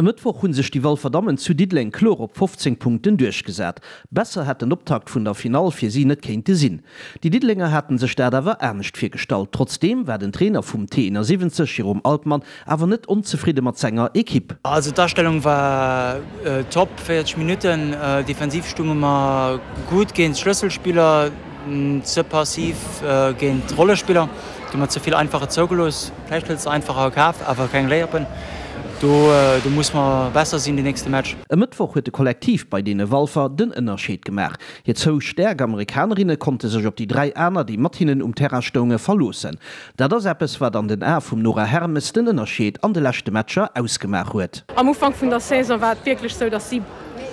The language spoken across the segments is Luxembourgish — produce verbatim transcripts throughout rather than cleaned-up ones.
E Mëttwoch hu sech déi Walfer Dammen zu Diddeleng kloer op fofzéng Punkten duerchgesat. Besser hätt den Optakt vun der Finall fir si net kéinte sinn. Déi Diddelenger haten sech dat awer anescht virgestallt. Trotzdeem war den Trainer vum T siwwenzeg, Jérôme Altmann, awer net onzefridde mat senger Ekipp. Also d'Astellung war top, véierzeg Minutten. Defensiv stounge mer gutt géint d'Schlësselspiller, ze passiv géint d'Rollespiller. Do hu mer ze vill Einfacher zougelooss. Vläicht huels de Einfacher a Kaf, awer keng Layupen. Do do muss mer besser sinn den nächste Match. E Mëttwoch huet de Kollektiv bei deene Walfer den Ënnerscheed gemaach. Hir zwou staark Amerikanerinne konnte sech op déi dräi aner, déi mat hinnen um Terrain stounge, verloossen. Dat ass eppes, wat an den Ae vum Nora Hermes den Ënnerscheed an de leschte Matcher ausgemaach huet. Am Ufank vun der Saison war et wierklech sou, datt si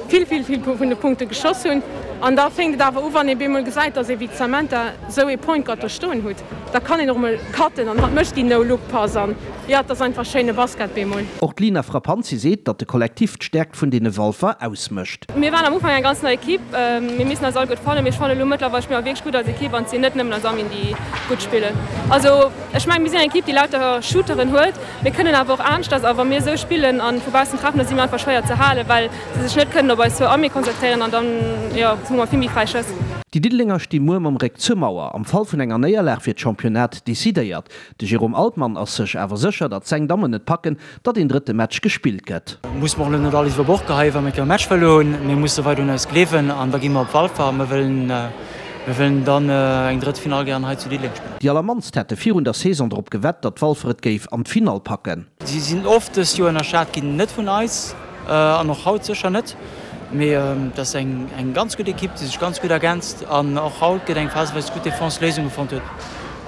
vill, vill, vill vun de Punkte geschoss hunn. An da fénkt et awer u, wann ee bemol gesäit, datt ee wéi d'Samantha sou ee Point Guard do stoen hutt, da kann een och emol cutten an hatt mécht déi No-Look-Pass an jo, et ass einfach schéine Basket bemol. Och d'Lina Frappanzi seet, datt de Kollektiv d'Stäerkt vun deene Walfer ausmécht. Mir waren am Ufank eng ganz nei Ekipp, mir missten eis all gutt fannen, mee ech fannen elo mëttlerweil spille mer wierklech gutt als Ekipp an et sinn net nëmmen eis Amin, déi gutt spillen. Also ech mengen, mir sinn eng Ekipp, déi lauter Shooteren huet, mir kënnen awer och aneschters a wa mir esou spillen a vu baussen treffen, da si mir einfach schwéier ze halen, well se sech net kënnen op eis zwou Amie konzentréieren an dann, jo, hu mer vill méi fräi Schëss. Déi Diddelenger sti muer mam Réck zur Mauer. Am Fall vun enger Néierlag wier d'Championnat decidéiert. De Jérôme Altmann ass sech awer sécher, datt seng Dammen et packen, datt een drëtte Match gespillt gëtt. Musse mer och elo net alles iwwer Bord geheien, wa mir e Match verluer hunn. Mir musse weider un eis gleewen an da gi mer op Walfer a mir wëllen, mir wëllen dann eng drëtt Finall gären hei zu Diddeleng spillen. Déi allermannst hätte virun der Saison drop gewett, datt Walfer et géif an d'Finall packen. Si sinn oft dëst Joer ënnerschat ginn, net vun eis an och haut sécher net. Mee et ass eng ganz gutt Ekipp, déi sech ganz gutt ergänzt an och haut gëtt eng phaseweis gutt Defense Léisunge fonnt huet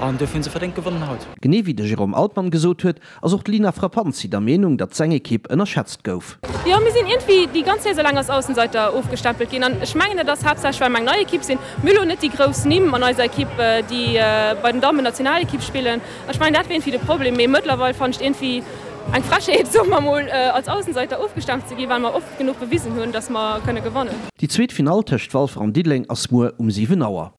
an duerfir hu se verdéngt gewonnen haut. Genee wéi de Jérôme Altmann gesot huet, ass och d'Lina Frappanzi der Meenung, datt seng Ekipp ënnerschätzt gouf. Jo, mir sinn iergendwéi déi ganz Saison laang als Aussenseiter ofgestempelt ginn an ech mengen, et ass haaptsächlech, well mer eng nei Ekipp sinn. Mir hu lo net déi grouss Nimm an eiser Ekipp, déi bei den Dammen Nationalekipp spillen. Ech mengen, dat wier iergendwéi de Problem. Mee mëttlerweil fannen ech et iergendwéi eng Frechheet, soe mer mol, als Aussenseiter ofgestempelt ze ginn, well mer oft genuch bewisen hunn, datt mer kënne gewannen. Déi zweet Finall tëscht Walfer an Diddeleng ass muer um siwen Auer.